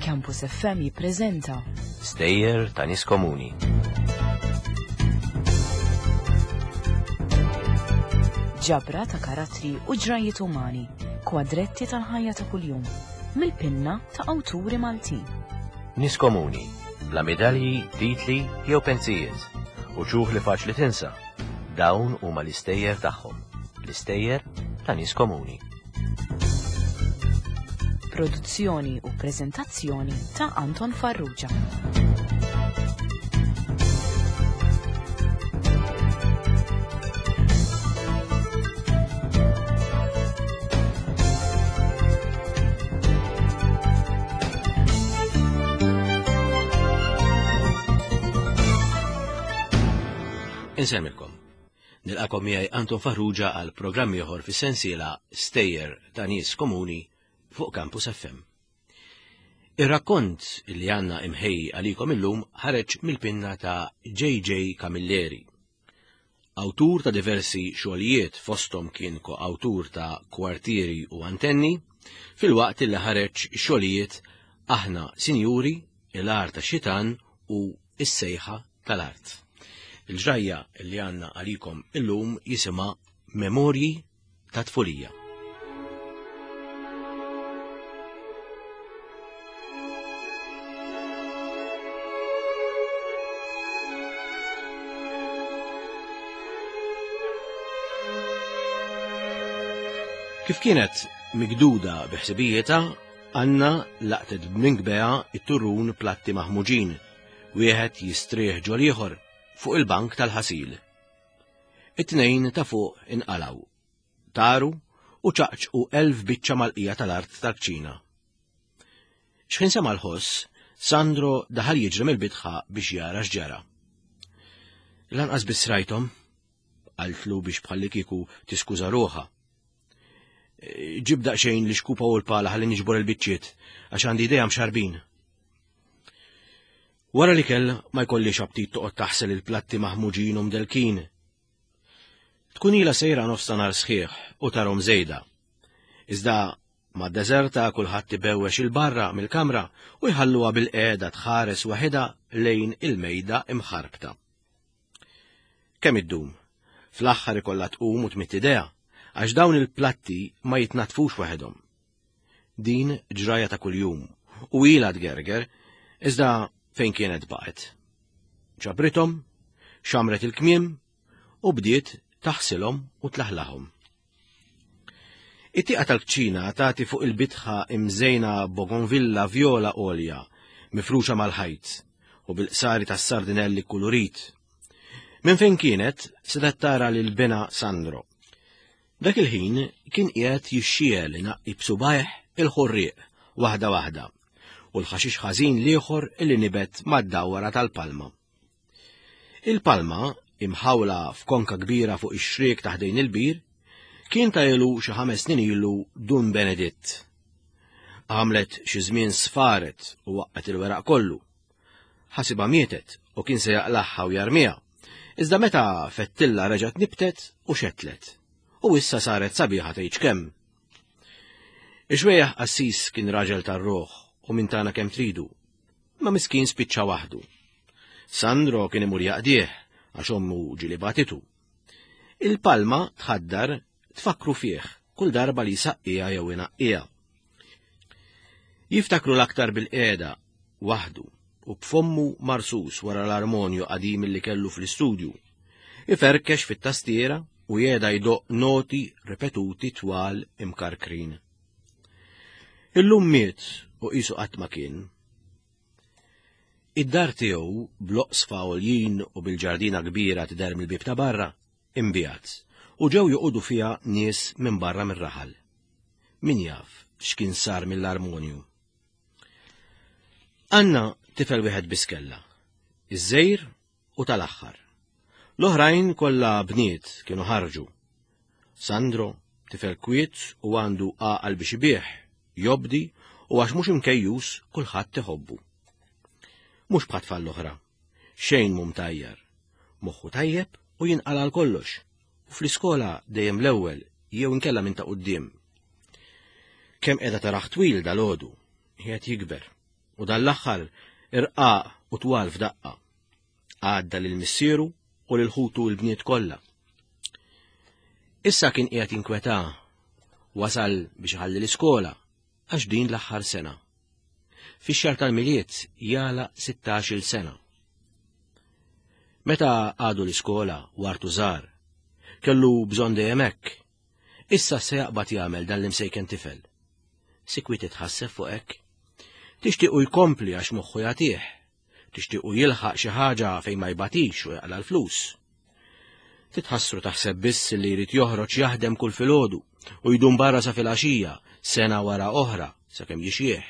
Campus FM jippreżenta Stejjer ta' nies komuni. Ġabra ta' karattri u ġrajiet umani, kwadretti tal-ħajja ta' kuljum, mill-pinna ta' awturi Maltin. Nies komuni, bla medalji, titli jew pensijiet, u ċuħ li faċli tinsa. Dawn huma l-istejjer tagħhom, l-istejjer ta' nies komuni. Produzzjoni u preżentazzjoni ta' Anton Farrugia. Insemmilkom. Nilqakom miegħi Anton Farrugia għal programm ieħor fis-sensiela Stejjer ta' nies komuni fuq Campus FM. Ir-rakkont li għandna imħej għalikom illum ħareġ mill-pinna ta' JJ Camilleri. Awtur ta' diversi xogħlijiet fosthom kien ko-awtur ta' Kwartieri u Antenni, filwaqt li ħareġ xogħlijiet Aħna Sinjuri, Il-Għar tax-Xitan u Is-Sejħa tal-Art. Il-ġrajja li għandna għalikom illum jisimha Memorji ta' Tfulija. Kif kienet migduda biħsibijietha, Anna laqtet b'minkbeha it-turrun platti maħmuġin, wieħed jistrieħ ġol ieħor fuq il-bank tal-ħasil. It-tnejn ta' fuq inqalgħu, taru u ċaqċqu elf biċċa mal-qija tal-art tal-kċina. Xħin sema l-ħoss, Sandro daħal jiġri mill-bitħa biex jara x'ġara. Lanqas biss rajthom, qaltlu biex bħallikieku tiskuża ruħha. Ġib daqsxejn li xkupa u l-pala ħalli niġbor il-biċċiet għax għandi idea mxarbin. Wara li kell ma jkollix aptit toqgħod taħsel il-platti maħmuġin u mdelkin. Tkun ilha sejra nofs ta' nhar sħiħ u tarhom żejda. Iżda ma' deżerta kulħadd ibewwex il-barra mill-kamra u jħalluha bil-qiegħda tħares waħedha lejn il-mejda imħarbta. Kemm iddum? Fl-aħħar ikollha tqum u tmidd idejha, għax dawn il-platti ma jitnaddfux waħedhom. Din ġraja ta' kuljum u ilha tgerger, iżda fejn kienet baqgħet. Ġabrithom, xamret il-kmiem u bdiet taħsilhom u tlaħlahom. It-tieqa tal-kċina tagħti fuq il-bitħa imżejna bougainvillea vjola għolja mifruxa mal-ħajt u bil-qsari tas-sardinelli kulurit. Minn fejn kienet setgħet tara lil binha Sandro. Dak il-ħin kien qiegħed jixxiegħel inaqqi b'subgħajh il-ħurrieq waħda waħda u l-ħaxix ħażin l-ieħor li nibet mad-dawra tal-palma. Il-palma, imħawla f'konka kbira fuq ix-xriek ta' ħdejn il-bir, kien ta' ilu xi ħames snin ilu Dun Beneditt. Għamlet xi żmien sfaret u waqqet il-weraq kollu. Ħasibha mietet u kien se jaqlagħha u jarmiha. Iżda meta fettilla reġgħet nibtet u xetlet. U issa saret sabiħa tgħidx kemm. Ix-xwejjaħ qassis kien raġel tar-ruħ u minn tagħna kemm tridu. Ma miskin spiċċa waħdu. Sandro kien imur jaqdih għax ommu ġieli bagħtitu. Il-palma tħaddar tfakkru fih kull darba li jsaqqiha jew inaqqiha. Jiftakru l-aktar bil-qiegħda waħdu u b'fommu marsus wara l-armonju qadim li kellu fl-istudju. Iferkex fit-tastiera u jeda jdoq noti ripetuti twal imkarkrin. Illum miet u qisu qatt ma kien. Id-dar tiegħu bl-oqsfa għoljin u bil-ġardina kbira tidher mill-bieb ta' barra, inbiegħet u ġew joqogħdu fiha nies minn barra mir-raħal. Min jaf x'kien sar mill-armonju. Anna tifel wieħed biss kellha, iż-żejr u tal-aħħar. L-oħrajn kollha bniet kienu ħarġu. Sandro, tifel kwiet u għandu għaqal biex ibigħ, jobdi u għax mhux imkejjus kulħadd iħobbu. Mhux bħat-tfal l-oħra. Xejn mhu mtajjar. Moħħu tajjeb u jinqala' għal kollox. U fl-iskola dejjem l-ewwel jew inkella minn ta' quddiem. Kemm qiegħda taraħ twil dal-għodu, qiegħed jikber, u dan l-aħħar irqaq u twal f'daqqa. Għadda lil missieru u lil ħutu l-bniet kollha. Issa kien qiegħed jinkweta wasal biex iħalli l-iskola għax din l-aħħar sena. Fix-xahar tal-Milied jala 16-il sena. Meta għadu l-iskola wartu żgħar, kellu bżonn dejjem hekk. Issa se jaqbad jagħmel dan l-imsejken tifel. Sikwit titħasseb fuq hekk. Tixtiequ jkompli għax moħħu jagħtih. Tixtiequ jilħaq xi ħaġa fejn ma jbatix u jaqla l-flus. Titħassru taħseb biss li jrid joħroġ jaħdem kull filgħodu u jdum barra sa filgħaxija sena wara oħra sakemm jixjieħ.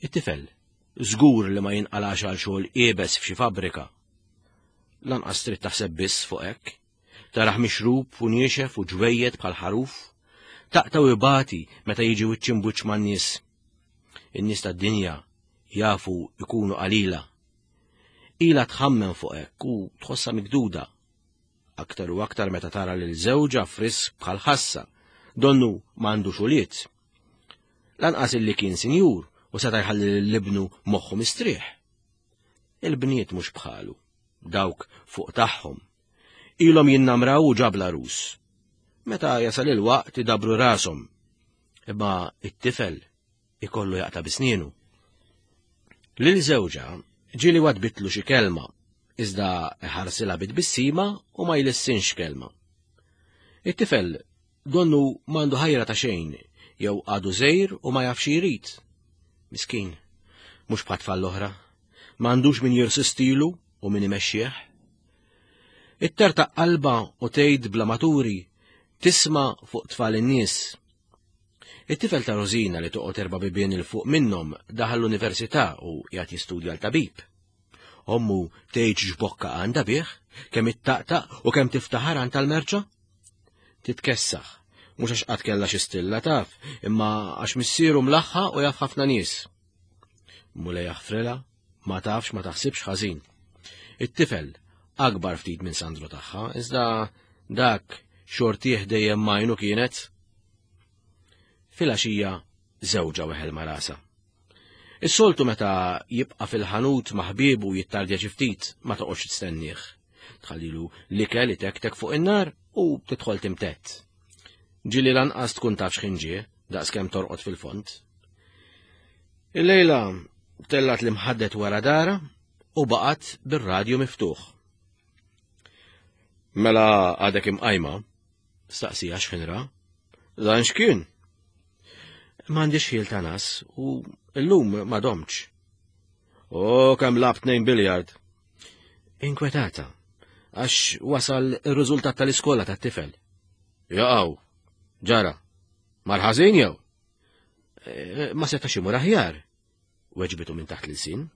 It-tifel żgur li ma jinqalax għal xogħol iebes f'xi fabbrika. Lanqas trid taħseb biss fuq hekk. Taraħ mixrub u niexef u ġwejjed bħal ħaruf. Taqta' u ibati meta jiġi wiċċ imbuċ man-nies. In-nies tad-dinja jafu ikunu qalila. Ila tħammem fuq hekk u tħossha mikduda. Aktar u aktar meta tara lil żewġha frisk bħal ħassa, donnu m'għandux ulied. Lanqas illi kien sinjur u seta' jħalli lil ibnu moħħu mistrieħ. Il-bniet mhux bħalu, dawk fuq tagħhom. Ilhom jinnamraw u ġabla rus. Meta jasal il-waqt idabru rashom. Imma it-tifel ikollu jaqta' bisnienu. Lil żewġha ġieli wadbitlu xi kelma, iżda ħarsilha bit-tbissima u ma jlissinx kelma. It-tifel donnu m'għandu ħajra ta' xejn jew għadu żejr u ma jafx jrid. Miskin, mhux bħat tfal l-oħra, m'għandux min jirsistilu u min imexxih. It-terta qalba u tgħid bla maturi tisma' fuq tfal in-nies. It-tifel ta' Rosina li toqgħod erba' bibien il fuq minnhom daħal l-università u qiegħed jistudja l-tabib. Ommu tgħid x'bokka għandha bih, kemm ittaqtaq u kemm tiftaħar għand tal-merċa? Titkessaħ, mhux għax qatt kellha xi stilla taf, imma għax missieru mlaħħa u jaf ħafna nies. Mulej jaħfrilha, ma tafx ma taħsibx ħażin. It-tifel akbar ftit minn Sandro tagħha, iżda dak xortih dejjem majnu kienet. Filgħaxija żewġha weħel ma' rasha. Is-soltu meta jibqa' fil-ħanut ma' ħbiebu jittardja xi ftit ma toqgħodx tistennieh. Tħallilu l-ikel itektek fuq in-nar u tidħol timtett. Ġieli lanqas tkun taf x'ħin ġie, daqskemm torqod fil-fond. Illejla tellat l-imħaddet wara dara u baqgħet bir-radju miftuħ. Mela għadek imqajma, Staqsija x'ħin ra. Dan x'kien? M'għandix ħil ta' nas u llum ma domċ. O kemm lab tnejn biljard. Inkwetata, għax wasal ir-riżultat tal-iskola tat-tifel. Jaqaw, ġara, marħażin jew? E, ma setax imur aħjar, weġbitu minn taħt l-sin.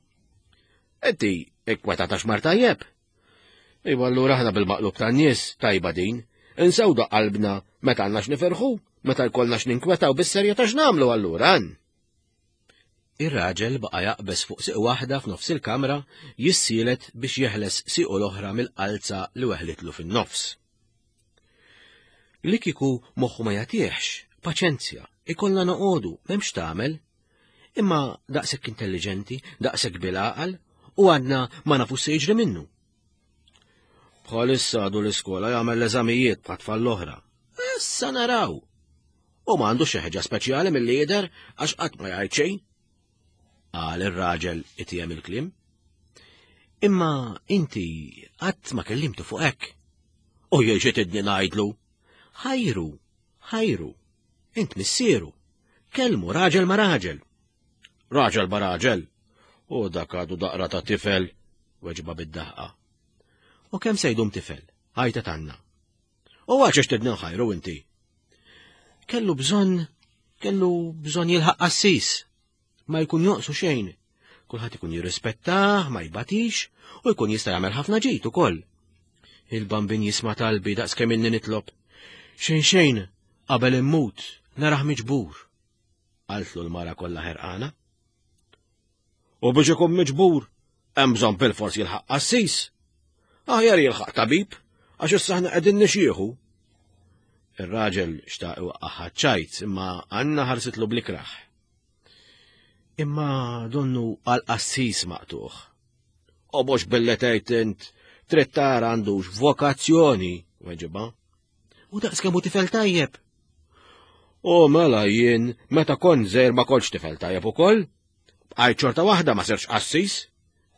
Inti inkwetata x'mar tajjeb? Iva allura aħna bil-maqlub tan-nies tajba din. Insewdu qalbna meta għandna x'nifirħu, meta jkollna x'ninkwetaw bis-serjetà x'nagħmlu allura. Ir-raġel baqa' jaqbeż fuq siq waħda f'nofs il-kamra jissielet biex jeħles siqu l-oħra mill-qalza li weħlitlu fin-nofs. Li kieku moħħu ma jagħtihx, paċenzja, ikollna noqogħdu, m'hemmx tagħmel. Imma daqshekk intelliġenti, daqshekk bil-għaqal, u għadna ma nafux se jiġri minnu. Bħalissa għadu l-iskola jagħmel l-eżamijiet bħat tfal l-oħra. Issa naraw. U ma għandu xi ħeġa speċjali milli jidher għax qatt ma jgħid xejn. Qal ir-raġel itiem il-kliem. Imma inti qatt ma kellimtu fuq hekk. U jien xi tidni ngħidlu. Ħajru, ħajru, int missieru. Kelmu raġel ma raġel. Raġel ma raġel. U dak għadu daqra ta' tifel, weġba bid-daħqa. U kemm se jdum tifel? Għajta tanna. U għax tidni nħajru inti. Kellu bżonn, kellu bżonn jilħaq qassis. Ma jkun joqsu xejn. Kulħadd ikun jirrispettah, ma jbatix, u jkun jista' jagħmel ħafna ġid ukoll. Il-bambin jisma' talbi daqs kemm inni nitlob. Xejn xejn, qabel immut, narah miġbur. Qaltlu l-mara kollha ħerqana. U biex ikun miġbur, hemm bżonn bilfors jilħaq qassis. Aħjar jilħaq tabib, għax issa aħna qegħdin nixjieħu. Ir-raġel xtaq iwaqqaħ ċajt imma Anna ħarsitlu blikraħ. Imma donnu għal qassis maqtuħ. U mhux billi tgħid int trid tara għandux vokazzjoni, weġiba. U daqs kemm hu tifel tajjeb. U mela jien meta kont żgħir ma kontx tifel tajjeb ukoll. Bqajt xorta waħda ma sirx qassis.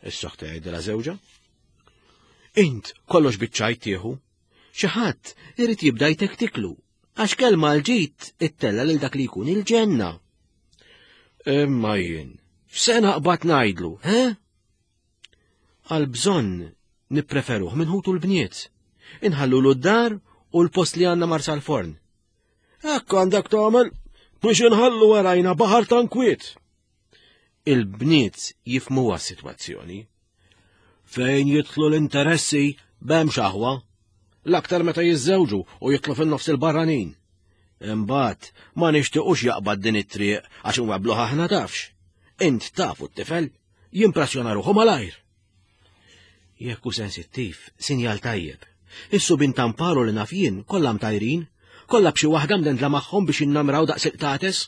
Is-soħta jgħidilha żewġha. Int kollox biċ-ċajt tieħu. Xi ħadd irid jibda jtektiklu għax kelma l-ġid ittella lil dak li jkun il-ġenna. Imma jien, f'se naqbad ngħidlu, he? Għal bżonn nippreferuh minn ħutu l-bniet. Inħallu d-dar u l-post li għandna marsa l-forn. Hekk għandek tagħmel biex inħallu warajna baħar ta' nkwiet. Il-bniet jifmuha s-sitwazzjoni. Fejn jidħlu l-interessi b'hemmx aħwa. L-aktar meta jiżżewġu u jidħlu fin-nofs il-barranin. Imbagħad ma nixtiequx jaqbad din it-triq għax inwebbluh aħna tafx. Int tafu t-tifel, jimpressjona ruħu malajr. Jekk hu sensittiv, sinjal tajjeb. Is-subin tamparu li naf jien kollha mtajrin, kollha b'xi waħda mdendla magħhom biex innamraw daqs il-qtates.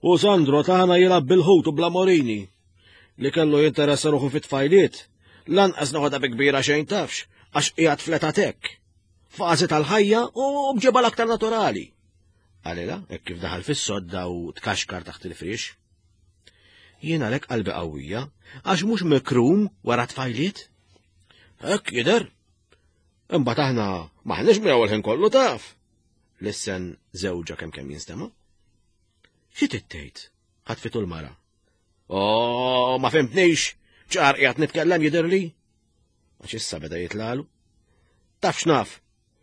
U Sandro tagħna jilgħab bil-ħut u bla morini. Li kellu jinteressa ruħu fit-tfajliet, lanqas noħodha bi kbira xejn tafx, għax qiegħed fleta tek. Fażi tal-ħajja u bġiba l-aktar naturali. Għalila, hekk kif daħal fis-sodda u tkaxkar taħt il-friex. Jien għalhekk qalbi qawwija, għax mhux mikrum wara tfajliet. Hekk jidher. Imbagħad aħna maħniex miegħu l-ħin kollu taf. Lissen żewġa kemm kemm jinstema'. Xi tittejt? Ħatfitu l-mara. Oh, ma fimtnix, ċar qiegħed nitkellem jidhirli. Għax issa beda jitlalu. Taf x'naf,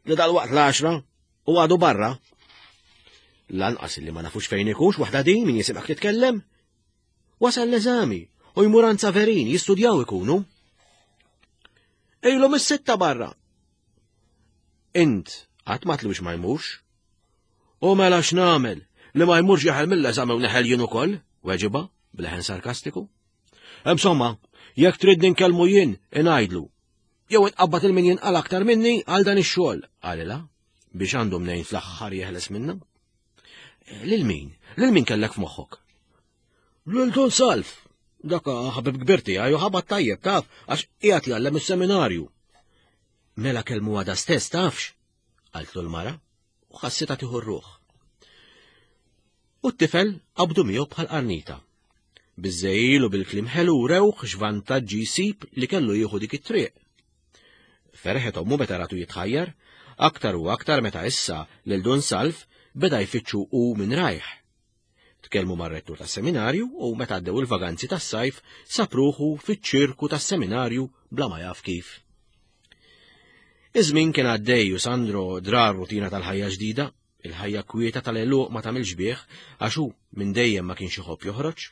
li dal-waqt l-għaxra u għadu barra. Lanqas li ma nafux fejn ikunx waħda din min jisimgħek titkellem. Wasal l-eżami u jmur għand Saverin jistudjaw ikunu. Ejlu mis-sitta barra. Int qatt ma tlux ma jmurx. U mela x'nagħmel li ma jmurx jaħel mill-eżami u neħel jien ukoll, weġiba b'leħen sarkastiku. Insomma, jekk tridni nkellmu jien, ingħidlu. Jew inqabbad il-min jinqal aktar minni għal dan ix-xogħol, qalilha biex għandu mnejn fl-aħħar jeħles minna. Lil min? Lil min kellek f'moħħok? Lil Dun Salf. Dak ħabib kbir tiegħi u ħabat tajjeb taf għax qiegħed jgħallem is-seminarju. Mela kellmu għada stess tafx? Qaltlu l-mara u ħassitha tieħu r-ruħ. U t-tifel qabdu miegħu bħal qarnita. Biż-żejjil u bil-kliem ħelu rewh x'vantaġġi jsib li kellu jieħu dik it-triq. Ferħet ommu meta ratu jitħajjar, aktar u aktar meta issa lil Dun Salv beda jfittxu hu minn rajh. Tkellmu mar-rettur tas-seminarju u meta għaddew il-vaganzi tas-sajf sab ruħu fiċ-ċirku tas-seminarju bla ma jaf kif. Iż-żmien kien għaddej u Sandro dra r-rutina tal-ħajja ġdida, il-ħajja kwieta tal-għeluq ma tagħmilx bih għax hu minn dejjem ma kienx iħobb joħroġ.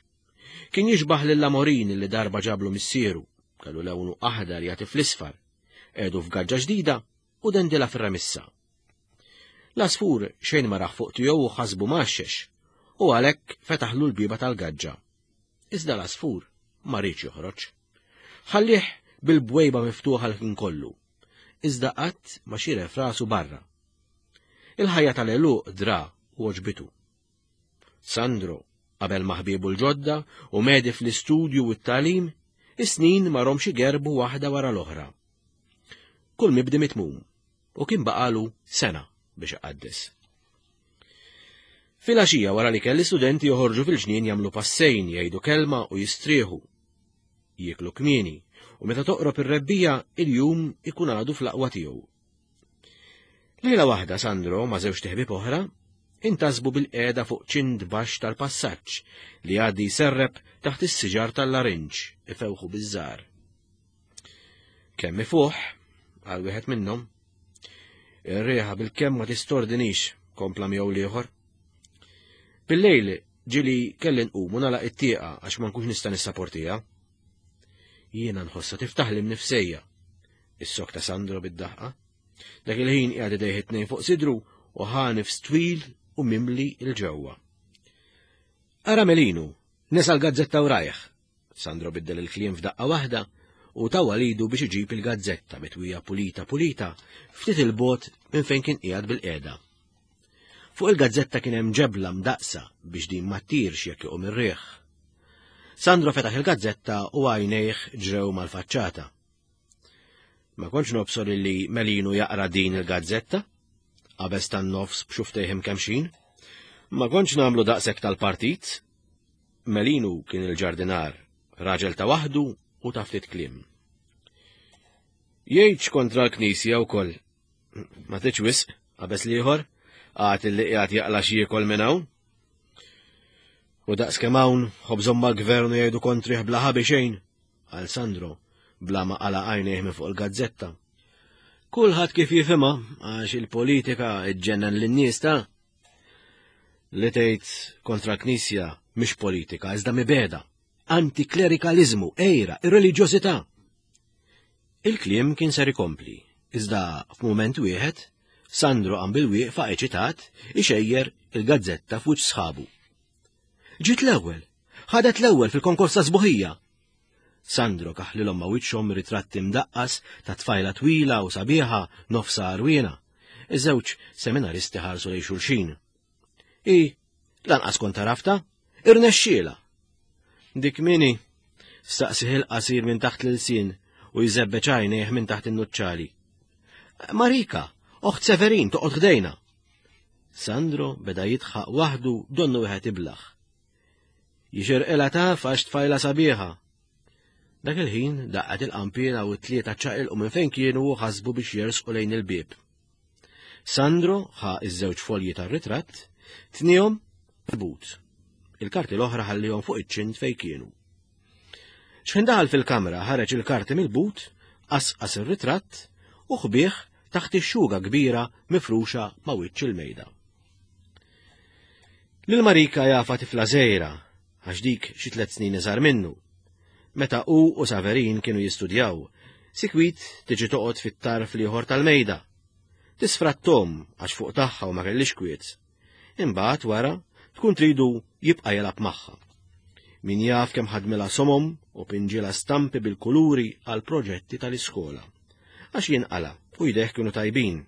Kien jixbah lil Amorin li darba ġablu missieru, kellu lewnu aħdar jagħti fl-isfar, qiegħdu f'gaġġa ġdida u dendilha fir-remissa. L-għasfur xejn ma rah fuq tiegħu u ħasbu mgħaxxex, u għalhekk fetaħlu l-bieba tal-gaġġa. Iżda l-għasfur ma riedx joħroġ. Ħallih bil-bwejba miftuħa l-ħin kollu, iżda qatt ma xiref rasu barra. Il-ħajja tal-għeluq dra u għoġbitu. Sandro qabel ma' ħbiebu l-ġodda u medi fl-istudju u t-tagħlim, is-snin ma romx igerbu waħda wara l-oħra. Kull mibdi mitmum u kien baqalu sena biex iqaddes. Filgħaxija wara li kelli studenti joħorġu fil-ġnien jagħmlu passejn, jgħidu kelma u jistrieħu. Jieklu kmieni u meta toqrob ir-rebbija il-jum ikun għadu fl-aqwa tiegħu. Lejla waħda Sandro ma' żewġ teħbib oħra intasbu bil-qiegħda fuq ċint baxx tal-passaġġ li għaddi jserreb taħt is-siġar tal-larinġ ifewħu biż-żgħar. Kemm ifuħ, għal wieħed minnhom. Ir-riħa bil-kemm ma tistordinix, kompla miegħu l-ieħor. Bil-lejl ġili kelli nqum u nagħlaq it-tieqa għax ma nkunx nista' nissaportiha. Jiena nħossha tiftaħli mnifsejja. Is-sok ta' Sandro bid-daħqa. Dak il-ħin qiegħed idejh it-tnejn fuq sidru u ħa nifs twil u mimli il-ġewwa. Ara Melinu, nesa l-gazzetta u rajh, Sandro biddel il-kliem f'daqqa waħda u tawwal idu biex iġib il-gazzetta mitwija pulita pulita ftit il-bogħod minn fejn kien qiegħed bil-qiegħda. Fuq il-gazzetta kien hemm ġebla mdaqqsa biex din ma ttirx jekk iqum ir-riħ. Sandro fetaħ il-gazzetta u għajnejh ġrew mal-faċċata. Ma kontx nobsor illi Melinu jaqra din il-gazzetta, qabeż tan-nofs b'xuftejh imkemmxin. Ma kontx nagħmlu daqshekk tal-partit. Melinu kien il-ġardinar, raġel ta' waħdu u ta' ftit kliem. Jgħidx kontra l-Knisja wkoll. Ma tridx wisq, qabeż l-ieħor, għad illi qiegħed jaqla' x'jiekol minn hawn. U daqs kemm hawn ħobżhom mal-gvern u jgħidu kontrih bla ħabi xejn, qal Sandro bla ma qala' għajnejh minn fuq il-gazzetta. Kulħadd kif jifhimha għax il-politika ġġennen lin-nies ta' li tgħid kontra l-Knisja mhix politika iżda mibeda, antiklerikaliżmu, għira, irreliġjożità. Il-kliem kien ser ikompli, iżda f'mument wieħed, Sandro qam bil-wieqfa eċitat ixejjer il-gazzetta f'wiċċ sħabu. Ġiet l-ewwel! Ħadet l-ewwel fil-konkors ta' sbuħija! Sandro kaħlilhom ma' wiċċhom ritratt imdaqqas ta' tfajla twila u sabiħa nofsha għarwiena. Iż-żewġ seminaristi ħarsu lejn xulxin. I, lanqas kont għaraftha, irnexxielha. Dik min hi? Staqsih il-qasir minn taħt l-ilsien u jżebbeġ għajnejh minn taħt in-nuċċali. Marika, oħt Severin toqgħod ħdejna. Sandro beda jidħaq waħdu donnu wieħed iblaħ. Jixirqilha taf għax tfajla sabiħa. Dak il-ħin daqqet il-qanpiena u t-tlieta ċaqilqu minn fejn kienu u ħasbu biex jersqu lejn il-bieb. Sandro ħa iż-żewġ folji tar-ritratt, tnihom but. Il-karti l-oħra ħallihom fuq iċ-ċint fejn kienu. Xħin daħal fil-kamra ħareġ il-karti mill-but, qasqas ir-ritratt u ħbih taħt ix-xuga kbira mifruxa ma' wiċċ il-mejda. Lil Marika jafa tifla żgħira għax dik xi tlet snin iżgħar minnu. Meta hu u Saverin kienu jistudjaw, sikwit tiġi toqgħod fit-tarf l-ieħor tal-mejda. Tisfrattom għax fuq tagħha u ma kellix kwiet. Imbagħad wara tkun tridu jibqa' jilgħab magħha. Min jaf kemm ħadmilha somom u pinġilha stampi bil-kuluri għal proġetti tal-iskola. Għax jinqala u jdejh kienu tajbin.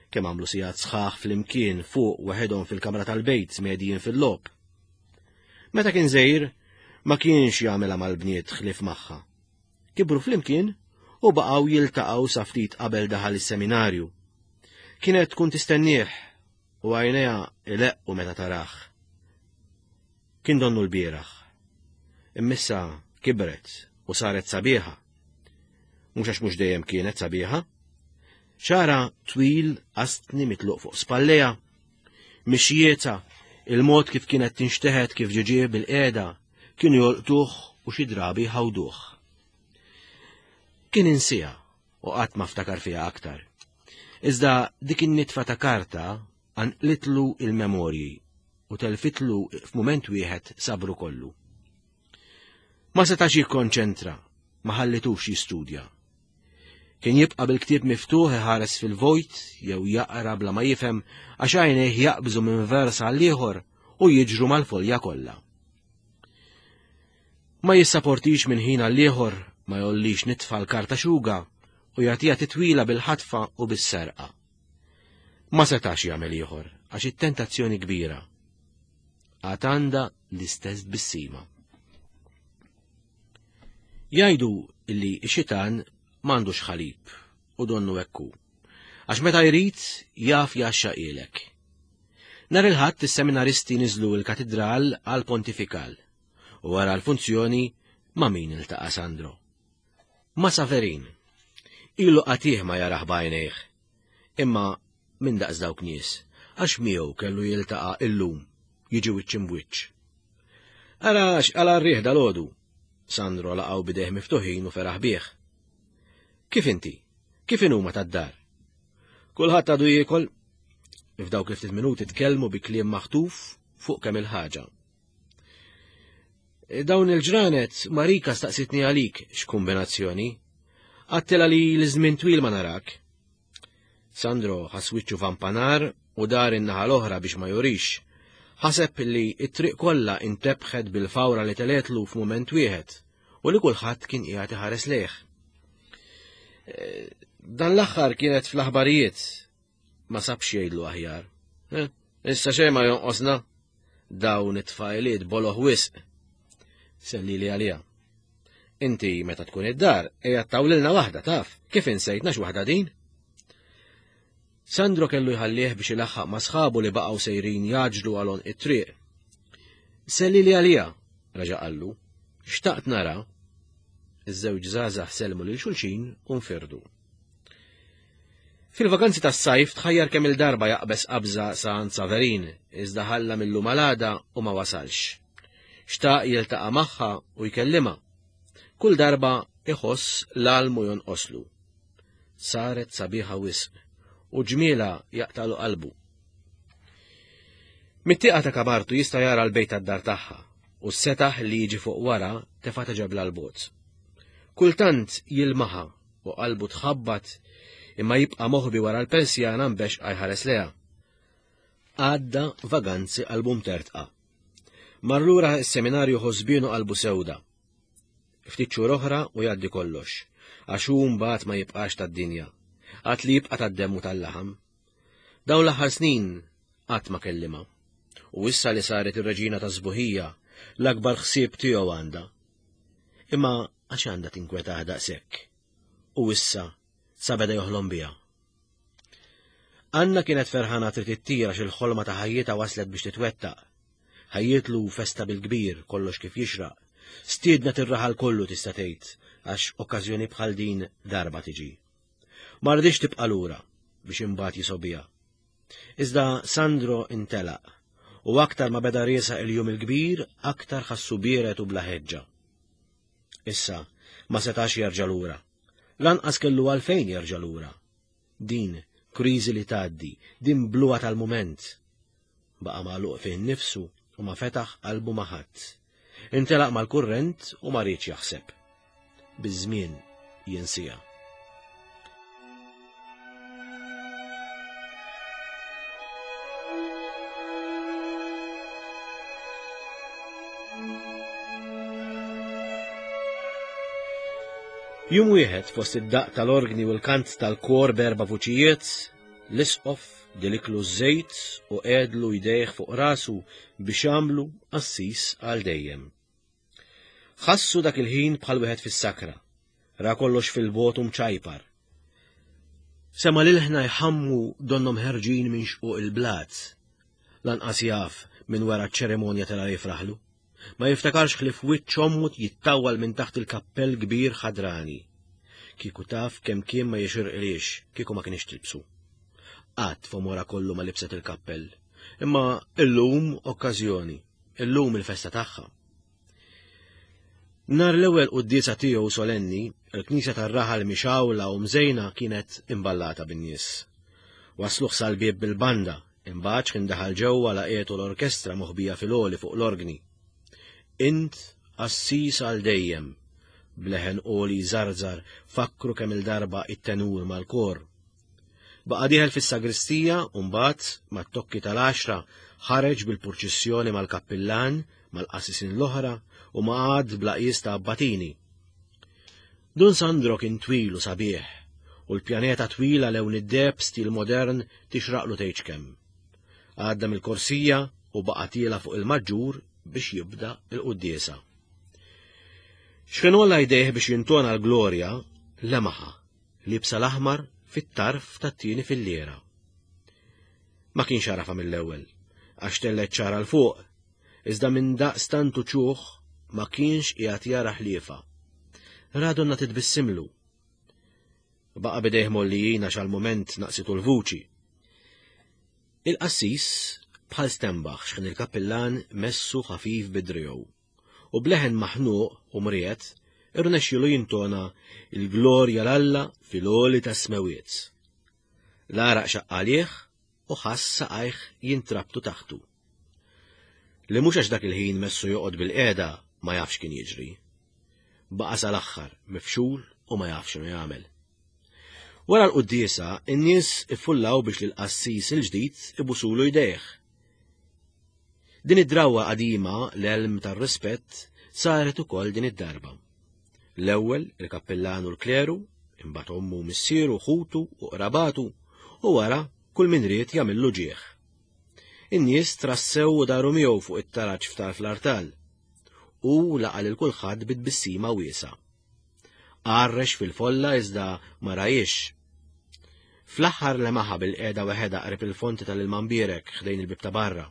Kemm għamlu sigħat sħaħ flimkien fuq waħedhom fil-kamra tal-bejt smedijin fil-logħob. Meta kien żgħir, ma kienx jagħmilha mal-bniet ħlief magħha. Kibru flimkien u baqgħu jiltaqgħu sa ftit qabel daħal is-seminarju. Kienet tkun tistennieh u għajnejha ileqqu meta tarah. Kien donnu l-bieraħ. Immissa kibret u saret sabiħa. Mhux għax mhux dejjem kienet sabiħa. Xara twil qastni mitluq fuq spalleja. Mixjieta, il-mod kif kienet tinxteħet kif ġiġie bil-qiegħda, kienu jolqtuh u xi drabi jħawduh. Kien insija u qatt ma ftakar fiha aktar. Iżda dik in-nitfa ta' karta qanqlitlu il-memorji u telfitlu f'mument wieħed sabru kollu. Ma setax jikkonċentra, ma ħallitux jistudja. Kien jibqa' bil-ktieb miftuħ iħares fil-vojt jew jaqra bla ma jifhem għax għajnejh jaqbżu minn vers għal ieħor u jiġru mal-folja kollha. Ma jissaportix minn ħin għal ieħor ma jollix nitfa l-karta xuga u jagħtiha titwila bil-ħatfa u bis-serqa. Ma setax jagħmel ieħor għax it-tentazzjoni kbira. Għad għandha l-istess tbissima. Jgħidu li x-xitan m'għandux ħalib u donnu hekk hu. Għax meta jrid jaf jgħaxxaqilek. Nhar il-Ħadd is-seminaristi niżlu l-katidral għal pontifikal u wara l-funzjoni ma' min iltaqa' Sandro. Ma' Saverin. Ilu qatih ma jarah b'għajnejh. Imma minn daqs dawk nies, għax miegħu kellu jiltaqa' illum, jiġi wiċċ imbwiċċ. Ara x'qala r-riħ dalgħodu. Sandro laqgħu b'idejh miftuħin u feraħ bih. Kif inti? Kif inhuma tad-dar? Kulħadd għadu jiekol. F'dawk il-ftit minuti tkellmu bi kliem maħtuf fuq kemm il-ħaġa. Dawn il-ġranet Marika staqsitni għalik x'kumbinazzjoni. Għattila li l-żmien twil ma narak. Sandro ħass wiċċu vampanar u dar in-naħa l-oħra biex ma jurix. Ħaseb li t-triq kollha intebħet bil-fawra li teletlu f'mument wieħed u li kulħadd kien qiegħed iħares lejh. Eh, dan l-aħħar kienet fl-aħbarijiet ma sabx jgħidlu aħjar. Eh, issa xejn ma jonqosna. Dawn it-tfajliet boloh wisq. Sellili għalija. Inti meta tkun id-dar, ejja tawlilna waħda taf, kif insejtna x'waħda din? Sandro kellu jħallih biex ilaħħaq ma' sħabu li baqgħu sejrin jaġlu għal għonq it-triq. Sellili għalija, reġa' qallu. Xtaqt nara. Iż-żewġ żgħażagħ sellmu lil xulxin u nfirdu. Fil-vakanzi tas-sajf tħajjar kemm il-darba jaqbeż qabża sa għand Saverin, iżda ħalla mill-lum għal għada u ma wasalx. Xtaq jiltaqa' magħha u jkellimha. Kull darba iħoss l-almu jonqoslu. Saret sabiħa wisq u ġmiela jaqtalu qalbu. Mit-tieqa ta' kamartu jista' jara l-bejt tad-dar tagħha u s-setaħ li jiġi fuq wara tefa' ta' ġebla l-bogħod. Kultant jilmaħa u qalbu tħabbat imma jibqa' moħbi wara l-persjana mbexqa jħares leha. Għadda vaganzi qalbu mtertqa. Mar lura s-seminarju ħosbienu qalbu sewda. Ftit xhur oħra u jgħaddi kollox, għax hu mbagħad ma jibqax tad-dinja, għad li jibqa' tad-demm u tal-laħam. Dawn l-aħħar snin qatt ma kellimha. U issa li saret ir-reġina tas-sbuħija, l-akbar ħsieb tiegħu għandha. Imma għax għandha tinkwetah daqshekk? U issa sa beda joħlom biha. Anna kienet ferħana trid ittir għax il-ħolma ta' ħajjitha waslet biex titwettaq. Ħajjitlu festa bil-kbir, kollox kif jixraq. Stiednet ir-raħal kollu tista' tgħid għax okkażjoni bħal din darba tiġi. Ma rridx tibqa' lura biex imbagħad jisobija. Iżda Sandro intelaq u aktar ma beda riesaq il-jum il-kbir, aktar ħassu biered u bla ħeġġa. Issa ma setax jerġa' lura. Lanqas kellu għalfejn jerġa' lura. Din kriżi li tgħaddi, din bluha tal-mument. Baqa' magħluq fih innifsu u ma fetaħ qalbu ma' ħadd. Intelaq mal-kurrent u ma riedx jaħseb. Biż-żmien jinsiha. Jum wieħed fost id-daqq tal-orgni u l-kant tal-kor b'erba' vuċijiet, l-isqof diliklu ż-żejt u qegħdlu jdejh fuq rasu biex għamlu qassis għal dejjem. Ħassu dak il-ħin bħal wieħed fis-sakra, ra kollox fil-bogħod u mċajpar. Sema' l-ilħna jħammu donnhom ħerġin minn xquq il-blat. Lanqas jaf minn wara ċ-ċerimonja tela' jifraħlu. Ma jiftakarx ħlief wiċċ ommu jittawwal minn taħt il-kappell kbir ħadrani. Kieku taf kemm kien ma jixirqilhiex kieku ma kienx tilbsu. Qatt f'għomorha kollu ma libset il-kappell. Imma illum okkażjoni, illum il-festa tagħha. Nhar l-ewwel quddiesa tiegħu solenni, il-knisja tar-raħal mixgħula u mżejna kienet imballata bin-nies. Wasluh sal-bieb bil-banda, imbagħad x'kien daħal ġewwa laqietu l-orkestra moħbija fil-għoli fuq l-orgni. Int qassis għal dejjem, b'leħen għoli jżarżar fakkru kemm-il darba it-tenur mal-kor. Baqa' dieħel fis-sagristija u mbagħad, mat-tokki tal-għaxra, ħareġ bil-purċissjoni mal-kappillan, mal-qassisin l-oħra u ma' għadd bla qies ta' abbatini. Dun Sandro kien twil u sabiħ, u l-pjaneta twila lewn id-deheb stil modern tixraqlu tgħidx kemm. Għadda mill-korsija u baqa' tiela' fuq il-maġġur biex jibda l-quddiesa. X'kien għolla jdejh biex jintona l-glorja, lemaħha liebsa l-aħmar fit-tarf tat-tieni filliera. Ma kienx għarafha mill-ewwel, għax tellgħet xagħarha 'l fuq, iżda minn daqs tant uċuħ ma kienx qiegħed jara ħliefa. Ra donna titbissimlu. Baqa' b'idejh mgħollijin għax għall-mument naqsitu l-vuċi. Il-qassis bħal stenbaħ x'ħin il-kappillan messu ħafif bi driegħu. u b'leħen maħnuq u mriegħed irnexxielu jintona l-glorja 'l Alla fil-għoli tas-smewwiet. L-għaraq xaqq għalih u ħass saqajh jintrabtu taħtu. Li mhux għax dak il-ħin messu joqgħod bilqiegħda ma jafx kien jiġri. Baqa' sal-aħħar mifxul u ma jaf x'inhu jagħmel. Wara l-quddiesa, in-nies iffullaw biex lill-qassis il-ġdid ibusulu jdejh. Din id-drawwa qadima, l-għelm tar-rispett, saret ukoll din id-darba. L-ewwel il-kappillan u l-kleru, imbagħad ommu u missieru, ħutu u qrabatu, u wara kull min ried jagħmillu ġieħ. In-nies trassew u daru miegħu fuq it-taraġ f'tarf l-artal. U laqa' lil kulħadd bi tbissima wiesgħa. Għarrex fil-folla iżda ma rajiex. Fl-aħħar lemaħa bil-qiegħda weħedha qrib il-fonti tal-ilma mbierek ħdejn il-bieb ta' barra.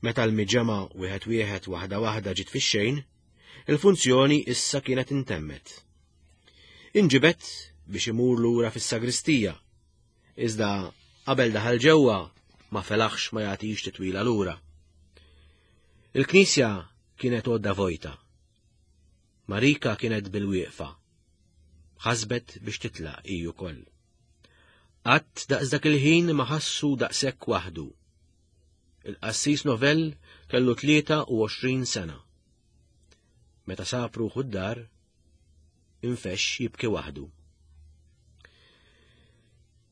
Meta l-miġemgħa wieħed wieħed waħda waħda ġiet fix-xejn, il-funzjoni issa kienet intemmet. Inġibed biex imur lura fis-sagristija, iżda qabel daħal ġewwa ma felaħx ma jagħtix titwila lura. Il-knisja kienet għodda vojta. Marika kienet bil-wieqfa. Ħasbet biex titlaq hi wkoll. Qatt daqs dak il-ħin ma ħassu daqshekk waħdu. Il-qassis Novell kellu 23 sena. Meta sab ruħu d-dar, infexx jibki waħdu.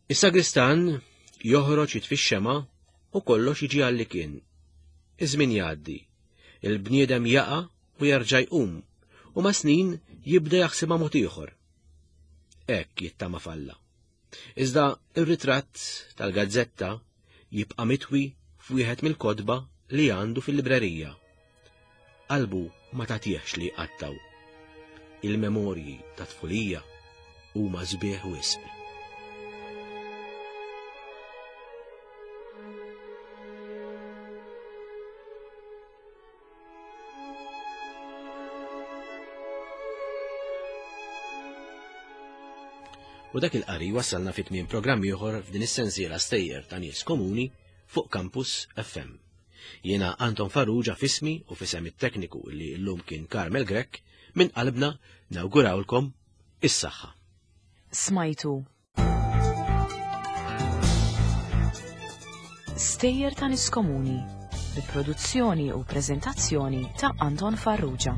Is-sagristan joħroġ jitfi x-xema u kollox jiġi għalli kien. Iż-żmien jgħaddi. Il-bniedem jaqa' u jerġa' jqum u ma' snin jibda jaħsibha mod ieħor. Hekk jittama f'Alla. Iżda ir-ritratt tal-gazzetta jibqa' mitwi f'wieħed mill-kotba li għandu fil-librerija. Qalbu ma tagħtihx li jqattgħu. Il-memorji ta' tfulija huma sbieħ wisq. U dak il-qari wassalna fi tmiem programm ieħor f'din is-sensiela stejjer ta' nies komuni fuq Campus FM. Jiena Anton Farrugia fismi u fisem it-tekniku li llum kien Carmel Grech minn qalbna nawgurawlkom is-saħħa. Smajtu Stejjer ta' nies komuni bi produzzjoni u preżentazzjoni ta' Anton Farrugia.